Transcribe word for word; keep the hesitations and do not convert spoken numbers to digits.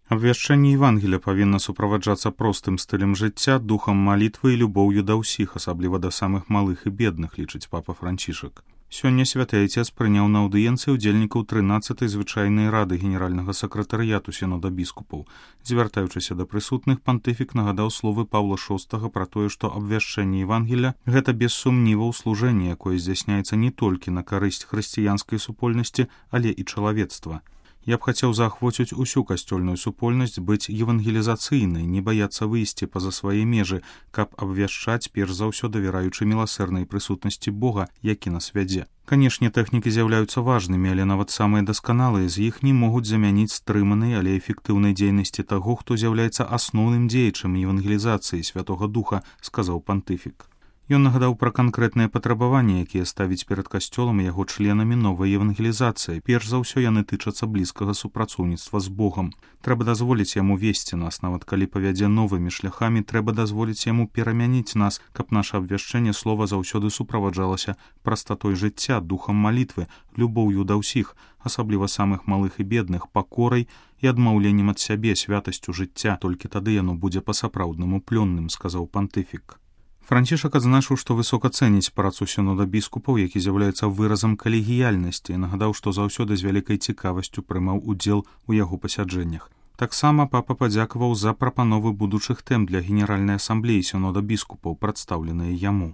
Абвяшчэнне Евангелія павінна суправаджацца простым стылем жыцця, духам малітвы і любоўю да ўсіх, асабліва да самых малых і бедных, лічыць папа Францішак. Сёння святы айцец прыняў на аўдыенцыі ўдзельнікаў трынаццатай звычайнай рады генеральнага сакратарыяту сінода біскупаў. Звяртаючыся да прысутных, пантыфік нагадаў словы Паўла шостага пра тое, што абвяшчэнне Евангелія – гэта без сумніваў служэнне, якое здзяйсняецца не толькі на карысць хрысціянскай супольнасці, але і чалавецтва. Я б хацеў заахвоціць усю касцёльную супольнасць быць евангелізацыйнай, не баяцца выйсці па-за свае межы, каб абвяшчаць перш за ўсё давяраючы міласэрнай прысутнасці Бога, які нас вядзе. Канешне, тэхнікі з'яўляюцца важнымі, але нават самыя дасканалыя з іх не могуць замяніць стрыманай, але эфектыўнай дзейнасці таго, хто з'яўляецца асноўным дзеячам евангелізацыі Святога Духа, сказаў пантыфік. Ён нагадаў пра канкрэтныя патрабаванні, якія ставіць перад касцёлам і яго членамі новая евангелізацыя. Перш за ўсё яны тычацца блізкага супрацоўніцтва з Богам. Трэба дазволіць яму весці нас, нават калі павядзе новымі шляхамі, трэба дазволіць яму перамяніць нас, каб наша абвяшчэнне слова заўсёды суправаджалася прастатой жыцця, духам малітвы, любоўю да ўсіх, асабліва самых малых і бедных, пакорай і адмаўленнем ад сябе, святасцю жыцця. Толькі тады яно будзе па-сапраўднаму плённым, сказаў пантыфік. Францішак адзначыў, што высока цэніць працу сінода біскупаў, які з'яўляецца выразам калегіяльнасці, і нагадаў, што заўсёды з вялікай цікавасцю прымаў удзел у яго пасяджэннях. Таксама папа падзякаваў за прапановы будучых тэм для генеральнай асамблеі сінода біскупаў, прадстаўленыя яму.